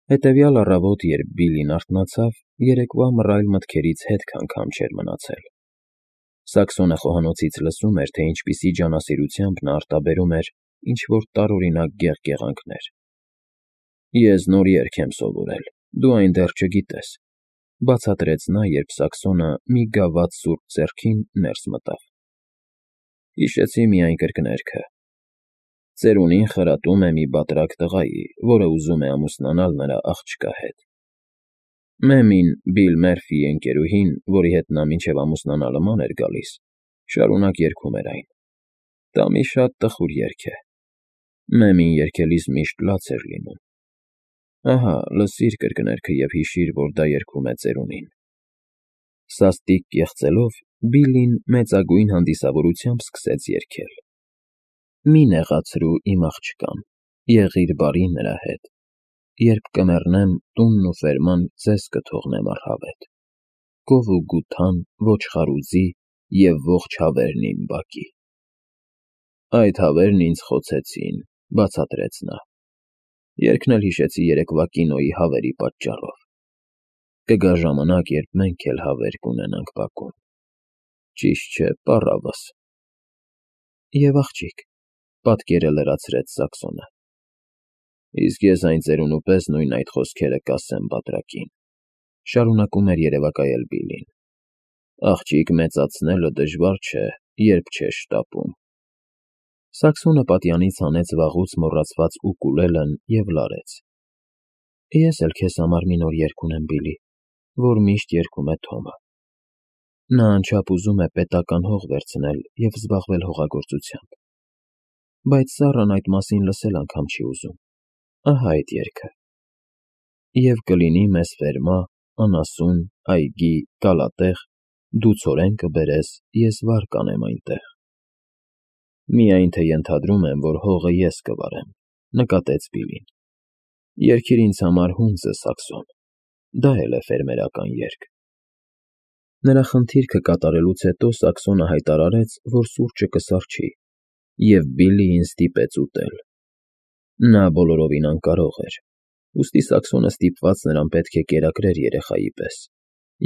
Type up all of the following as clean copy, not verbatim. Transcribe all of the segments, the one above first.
Հետևյալ առավոտ, երբ Բիլլին արթնացավ, երեկվա մռայլ մտքերից հետք անգամ չէր մնացել. Սաքսոնը խոհանոցից լսում էր, թե ինչպիսի ջանասիրությամբ նա արտաբերում էր ինչ-որ տարօրինակ գեղկեղանքներ։ «Ես նոր երգ եմ սովորել, դու այն դեռ չգիտես», բացատրեց նա, երբ Սաքսոնը մի գավաթ սուրճ ձեռքին ներս մտավ։ «Հիշեցի միայն կրկներքը. ծերունին խրատում է մի բատրակ տղայի, որը ուզում է ամուսնանալ նրա աղջկա հետ։ Մեմին, Բիլ Մերֆիի ընկերուհին, որի հետ նա մինչև ամուսնանալը ման էր գալիս, շարունակ երգում էր այն։ Դա մի շատ տխուր երգ է։ Մեմին երգելիս միշտ լաց էր լինում։ Ահա, լսիր կրկներքը և հիշիր, որ դա երգում է ծերունին»։ Սաստիկ կեղծելով, Բիլլին մեծագույն հանդիսավորությամբ սկսեց երգել. «Մի նեղացրու իմ աղջկան, եղիր բարի նրա հետ, երբ կմեռնեմ, տունն ու ֆերման ձեզ կթողնեմ առհավետ, կով ու գութան, ոչխար ու ձի և ողջ հավերն իմ բակի»։ «Այդ հավերն ինձ խոցեցին», բացատրեց նա։ «Երգն էլ հիշեցի երեկվա կինոյի հավերի պատճառով։ Կգա ժամանակ, երբ մենք էլ հավեր կունենանք բակում։ Ճիշտ չէ, պառավս»։ «Եվ աղջիկ», պատկերը լրացրեց Սաքսոնը։ «Իսկ ես այն ծերունու պես նույն այդ խոսքերը կասեմ բատրակին», շարունակում էր երևակայել Բիլլին։ «Աղջիկ մեծացնելը դժվար չէ, երբ չես շտապում»։ Սաքսոնը պատյանից հանեց վաղուց մոռացված ուկուլելեն և լարեց։ «Ես էլ քեզ համար մի նոր երգ ունեմ, Բիլլի, որ միշտ երգում է Թոմը։ Նա անչափ ուզում է պետական հող վերցնել և զբաղվել հողագործությամբ, բայց ծառան այդ մասին լսել անգամ չի ուզում։ Ահա այդ երգը. «Եվ կլինի մեզ ֆերմա, անասուն, այգի, կալատեղ, դու ցորեն կբերես, ես վար կանեմ այնտեղ»։ «Միայն թե ենթադրում եմ, որ հողը ես կվարեմ», նկատեց Բիլլին։ «Երգիր ինձ համար հունձը, Սաքսոն, դա էլ է ֆերմերական երգ»։ Նրա խնդիրքը կատարելուց հետո Սաքսոնը հայտարարեց, որ սուրճը կսառչի, և Բիլլիին ստիպեց ուտել։ Նա բոլորովին անկարող էր, ուստի Սաքսոնը ստիպված նրան պետք է կերակրեր երեխայի պես,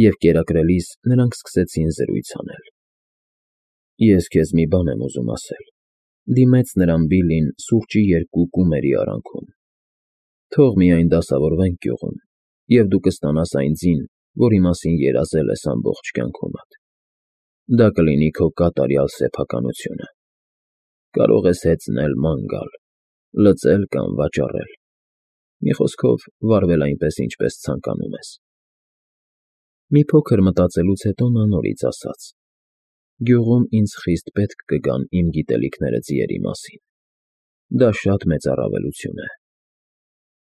և կերակրելիս նրանք սկսեցին զրույց անել։ «Ես քեզ մի բան եմ ուզում ասել», դիմեց նրան Բիլլին սուրճի երկու կումերի արանքում։ «Թող միայն դասավորվենք գյուղում, և դու կստանաս այն ձին, որի մասին երազել ես ամբողջ կյանքումդ։ Դա կլինի քո կատարյալ սեփականությունը։ Կարող ես հեծնել, ման գալ, լծել կամ վաճառել։ Մի խոսքով, վարվել այնպես, ինչպես ցանկանում ես»։ Մի փոքր մտածելուց հետո նա նորից ասաց. «Գյուղում ինձ խիստ պետք կգան իմ գիտելիքները ձիերի մասին։ Դա շատ մեծ առավելություն է։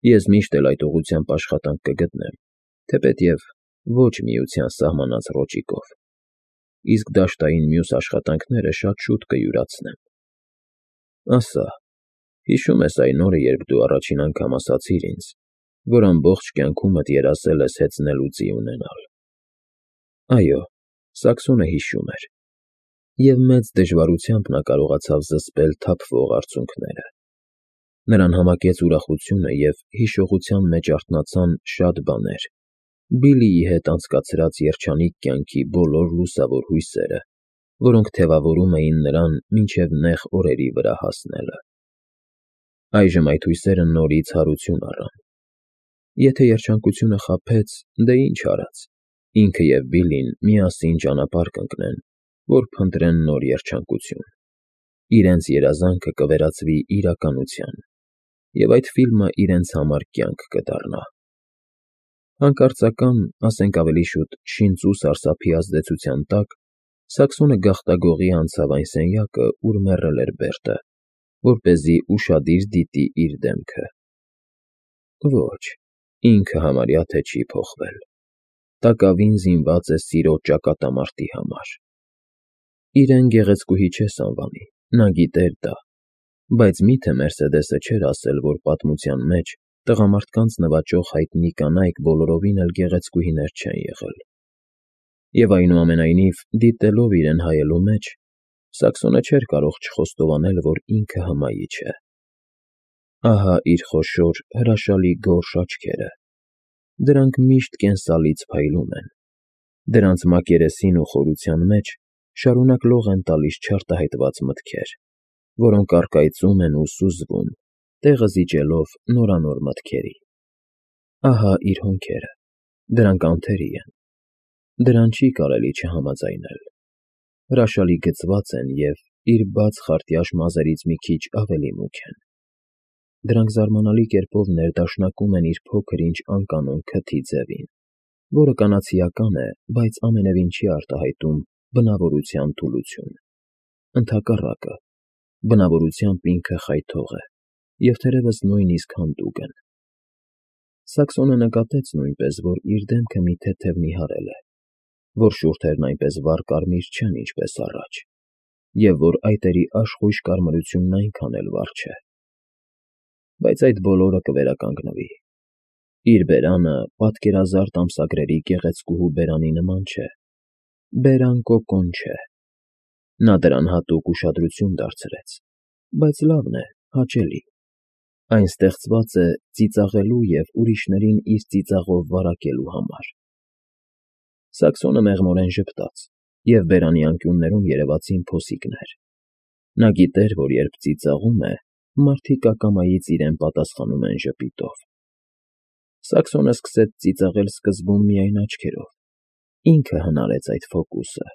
Ես միշտ էլ այդ ուղղությամբ աշխատանք կգտնեմ, թեպետև ոչ Միության սահմանած ռոճիկով, իսկ դաշտային մյուս աշխատանքները շատ շուտ կյուրացնեմ։ Ասա, հիշո՞ւմ ես այն օրը, երբ դու առաջին անգամ ասացիր ինձ, որ ամբողջ կյանքումդ երազել ես հեծնել ու ձի ունենալ»։ Այո, Սաքսոնը հիշում էր, և մեծ դժվարությամբ նա կարողացավ զսպել թափվող արցունքները։ Նրան համակեց ուրախությունը, և հիշողության մեջ արթնացան շատ բաներ, Բիլլիի հետ անցկացրած երջանիկ կյանքի բոլոր լուսավոր հույսերը, որոնք թևավորում էին նրան մինչև նեղ օրերի վրա հասնելը։ Այժմ այդ հույսերը նորից հարություն առան։ Եթե երջանկությունը խաբեց, դե ինչ արած, ինքը և Բիլլին միասին ճանապարհ կընկնեն, որ փնտրեն նոր երջանկություն։ Իրենց երազանքը կվերածվի իրականության, և այդ ֆիլմը իրենց համար կյանք կդառնա։ Հանկարծական, ասենք ավելի շուտ շինծու սարսափի ազդեցության տակ, Սաքսոնը գաղտագողի անցավ այն սենյակը, ուր մեռել էր Բերտը, որպեսզի ուշադիր դիտի իր դեմքը։ Ոչ, ինքը համարյա թե չի փոխվել։ Տակավին զինված է սիրո ճակատամարտի համար։ Իրեն գեղեցկուհի չես անվանի, նա գիտեր դա, բայց մի՞թե Մերսեդեսը չէր ասել, որ պատմության մեջ տղամարդկանց նվաճող հայտնի կանայք բոլորովին էլ գեղեցկուհիներ չեն եղել։ Եվ այնուամենայնիվ, դիտելով իրեն հայելու մեջ, Սաքսոնը չէր կարող չխոստովանել, որ ինքը հմայիչ է։ Ահա իր խոշոր, հրաշալի գորշ աչքերը, Դրանք միշտ կենսալից փայլում են։ Դրանց մակերեսին ու խորության մեջ շարունակ լող են տալիս չարտահայտված մտքեր, որոնք առկայծում են ու սուզվում, տեղը զիջելով նորանոր մտքերի։ Ահա իր հոնքերը, դրանք անթերի են, դրան չի կարելի չհամաձայնել։ Հրաշալի գծված են և իր բաց խարտյաշ մազերից մի քիչ ավելի մուգ են։ Դրանք զարմանալի կերպով ներդաշնակում են իր փոքր-ինչ անկանոն քթի ձևին, որը կանացիական է, բայց ամենևին չի արտահայտում բնավորության թուլություն։ Ընդհակառակը, բնավորությամբ ինքը խայթող է և թերևս նույնիսկ հանդուգն։ Սաքսոնը նկատեց նույնպես, որ իր դեմքը մի թեթև նիհարել է, որ շուրթերն այնպես վառ կարմիր չեն, ինչպես առաջ, և որ այտերի աշխույժ կարմրությունն այնքան էլ վառ չէ։ Բայց այդ բոլորը կվերականգնվի։ Իր բերանը պատկերազարդ ամսագրերի գեղեցկուհու բերանի նման չէ, բերան կոկոն չէ։ Նա դրան հատուկ ուշադրություն դարձրեց, բայց լավն է, հաճելի։ Այն ստեղծված է ծիծաղելու և ուրիշներին իր ծիծաղով վարակելու համար։ Սաքսոնը մեղմորեն ժպտաց, և բերանի անկյուններում երևացին փոսիկներ։ Նա գիտեր, որ երբ ծիծաղում է, մարդիկ ակամայից իրեն պատասխանում են ժպիտով։ Սաքսոնը սկսեց ծիծաղել սկզբում միայն աչքերով։ Ինքը հնարեց այդ ֆոկուսը։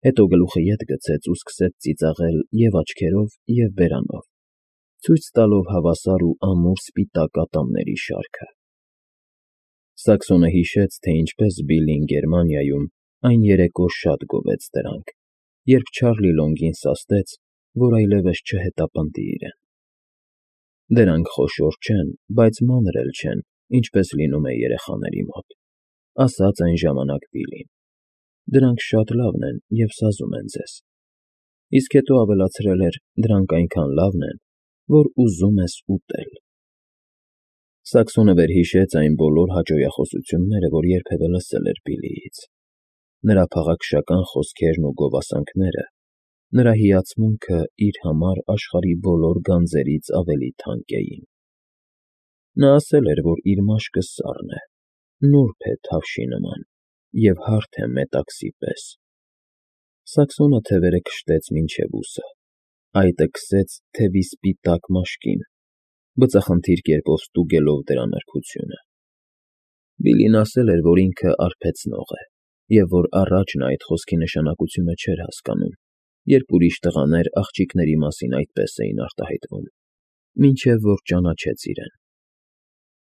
Հետո գլուխը ետ գցեց ու սկսեց ծիծաղել և աչքերով, և բերանով, ցույց տալով հավասար ու ամուր սպիտակ ատամների շարքը։ Սաքսոնը հիշեց, թե ինչպես Բիլլին Գերմանիայում այն երեկո շատ գովեց դրանք, երբ Չարլի Լոնգին սաստեց, որ այլևս չհետապնդի իրեն։ Դրանք խոշոր չեն, բայց մանր էլ չեն, ինչպես լինում է երեխաների մոտ, ասաց այն ժամանակ Բիլլին։ Դրանք շատ լավն են և սազում են ձեզ։ Իսկ հետո ավելացրել էր. դրանք այնքան լավն են, որ ուզում ես ուտել։ Սաքսոնը վերհիշեց այն բոլոր հաճոյախոսությունները, որ երբևէ լսել էր Բիլլիից։ Նրա փաղաքշական խոսքերն ու գովասանքները, նրա հիացմունքը իր համար աշխարհի բոլոր գանձերից ավելի թանկ էին։ Նա ասել էր, որ իր մաշկը սառն է, նուրբ է թավշի նման և հարթ է մետաքսի պես։ Սաքսոնը թևերը քշտեց մինչև ուսը, այտը քսեց թևի սպիտակ մաշկին, բծախնդիր կերպով ստուգելով դրա նրբությունը։ Բիլլին ասել էր, որ ինքը արբեցնող է, և որ առաջ նա այդ խոսքի նշանակությունը չէր հասկանում, երբ ուրիշ տղաներ աղջիկների մասին այդպես էին արտահայտվում, մինչև որ ճանաչեց իրեն։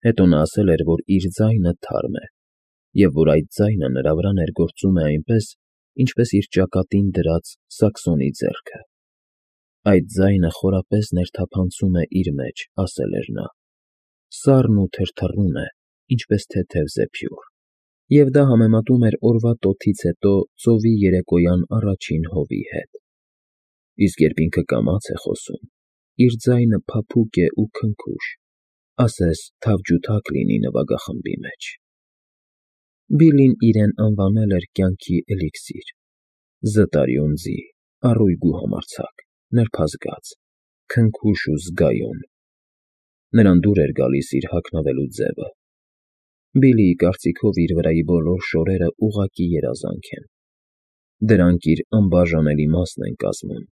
Հետո նա ասել էր, որ իր ձայնը թարմ է, և որ այդ ձայնը նրա վրա ներգործում է այնպես, ինչպես իր ճակատին դրած Սաքսոնի ձեռքը։ Այդ ձայնը խորապես ներթափանցում է իր մեջ, ասել էր նա, սառն ու թրթռուն է, ինչպես թեթև զեփյուռ, և դա համեմատում էր օրվա տոթից հետո ծովի երեկոյան առաջին հովի հետ։ Իսկ երբ ինքը կամաց է խոսում, իր ձայնը փափուկ է ու քնքուշ, ասես թավջութակ լինի նվագախմբի մեջ։ Բիլլին իրեն անվանել էր կյանքի էլիքսիր, զտարյուն ձի, առույգ ու համարձակ, նրբազգաց, քնքուշ ու զգայուն։ Նրան դուր էր գալիս իր հագնվելու ձևը։ Բիլլիի կարծիքով իր վրայի բոլոր շորերը ուղղակի երազանք են։ Դրանք իր անբաժանելի մասն են կազմում,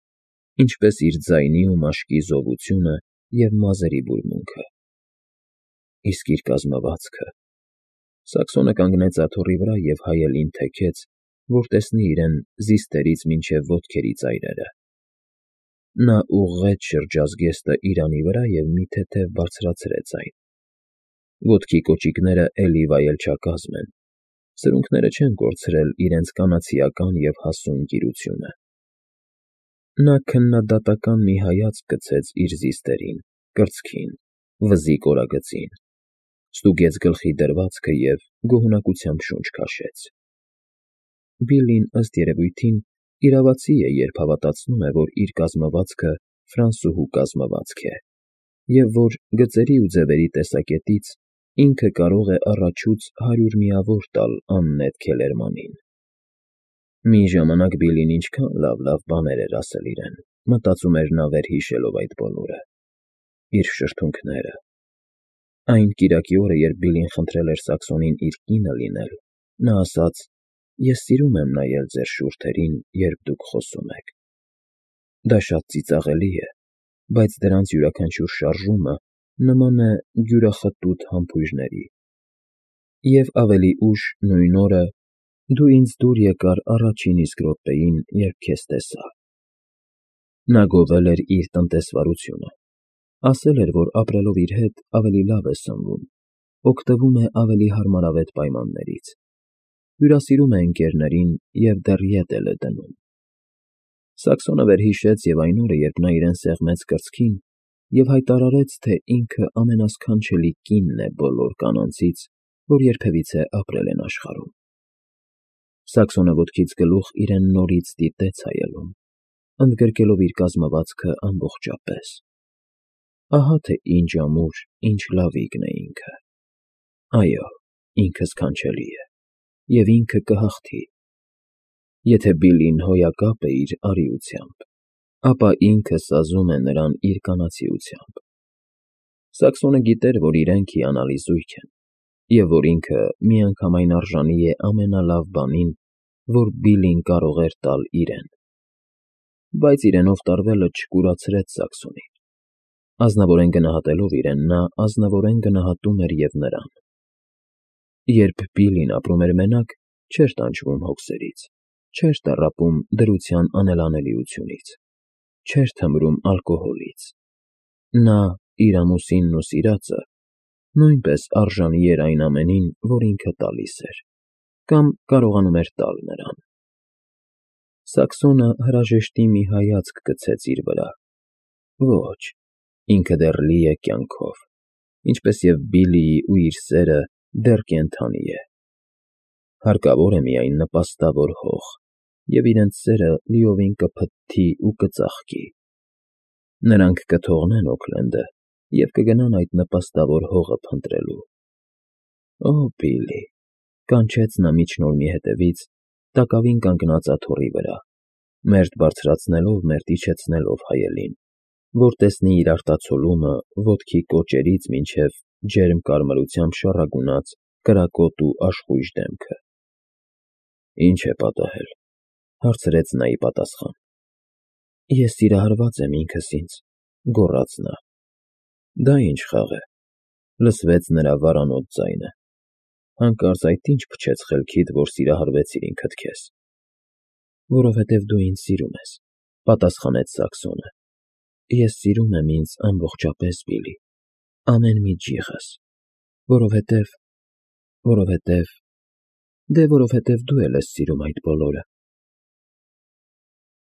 ինչպես իր ձայնի ու մաշկի զովությունը և մազերի բուրմունքը։ Իսկ իր կազմվածքը… Սաքսոնը կանգնեց աթոռի վրա և հայելին թեքեց, որ տեսնի իրեն զիստերից մինչև ոտքերի ծայրերը։ Նա ուղղեց շրջազգեստը իրանի վրա և մի թեթև բարձրացրեց այն։ Ոտքի կոճիկները էլի վայելչակազմ են, սրունքները չեն կորցրել իրենց կանացիական և հասուն գիրությունը։ Նա քննադատական մի հայացք գցեց իր զիստերին, կրծքին, վզի կորագծին, ստուգեց գլխի դրվածքը և գոհունակությամբ շունչ քաշեց։ Բիլլին, ըստ երևույթին, իրավացի է, երբ հավատացնում է, որ իր կազմվածքը ֆրանսուհու կազմվածք է, և որ գծերի ու ձևերի տեսակետից ինքը կարող է առաջուց 100 միավոր տալ աննետ Քելերմանին։ Մի ժամանակ Բիլլին ինչքան լավ բաներ էր ասել իրեն, մտածում էր նա վերհիշելով այդ բոլորը, իր շրթունքները, Այն կիրակի օրը, երբ Բիլին խնդրել էր Սաքսոնին իր կինը լինել, նա ասաց. «Ես սիրում եմ նայել ձեր շուրթերին, երբ դուք խոսում եք»։ Դա շատ ծիծաղելի է, բայց դրանց յուրաքանչյուր շարժումը նման է յուրախտոտ համբույրների։ Եվ ավելի ուշ նույն օրը դու ինձ դուր եկար առաջին իսկ րոպեին, երբ քեզ տեսա։ Նա գովել էր իր տնտեսվարությունը, ասել էր, որ ապրելով իր հետ ավելի լավ է սնվում, օգտվում է ավելի հարմարավետ պայմաններից, հյուրասիրում է ընկերներին և դեռ ետ էլ է դնում։ Սաքսոնը վերհիշեց և այն օրը, երբ նա իրեն սեղմեց կրծքին և հայտարարեց, թե ինքը ամենասքանչելի կինն է բոլոր կանանցից, որ երբևիցե ապրել են աշխարհում։ Սաքսոնը ոտքից գլուխ իրեն նորից դիտեց հայելուն, ընդգրկելով իր կազմվածքը ամբողջապես։ Ահա թե ինչ ամուր, ինչ լավիկն է ինքը։ Այո, ինքը սքանչելի է, և ինքը կհաղթի։ Եթե Բիլին հոյակապ է իր արիությամբ, ապա ինքը սազում է նրան իր կանացիությամբ։ Սաքսոնը գիտեր, որ իրենք հիանալի զույգ են, և որ ինքը միանգամայն արժանի է ամենալավ բանին, որ Բիլին կարող էր տալ իրեն։ Բայց իրենով տարվելը չկուրացրեց Սաքսոնին։ Ազնվորեն գնահատելով իրեն, նա ազնվորեն գնահատում էր և նրան։ Երբ Բիլին ապրում էր մենակ, չէր տանջվում հոգսերից, չէր տառապում դրության անելանելիությունից, չէր թմրում ալկոհոլից։ Նա, իր ամուսինն ու սիրածը, նույնպես արժանի էր այն ամենին, որ ինքը տալիս էր, կամ կարողանում էր տալ նրան։ Սաքսոնը հրաժեշտի մի հայացք գցեց իր վրա։ Ոչ, ինքը դեռ լի է կյանքով, ինչպես և Բիլիի ու իր սերը դեռ կենդանի է։ Հարկավոր է միայն նպաստավոր հող, և իրենց սերը լիովին կփթթի ու կծաղկի։ Նրանք կթողնեն Օքլենդը և կգնան այդ նպաստավոր հողը փնտրելու։ Օ, Բիլի, կանչեց նա միջնորմի հետևից, տակավին կանգնած աթոռի վրա, մերթ բարձրացնելով, մերթ իջեցնելով հայելին, որ տեսնի իր արտացոլումը ոտքի կոճերից մինչև ջերմ կարմրությամբ շառագունած կրակոտ ու աշխույժ դեմքը։ Ինչ է պատահել, հարցրեց նա ի պատասխան։ Ես սիրահարված եմ ինքս ինձ, գոռաց նա։ Դա ինչ խաղ է, լսվեց նրա վարանոտ ձայնը։ Հանկարծ այդ ինչ փչեց խելքիդ, որ սիրահարվեցիր ինքդ քեզ։ Որովհետև դու ինձ սիրում ես, պատասխանեց Սաքսոնը։ Ես սիրում եմ ինձ ամբողջապես, Բիլի, ամեն մի ջիղս, որովհետև… դե որովհետև դու էլ ես սիրում այդ բոլորը։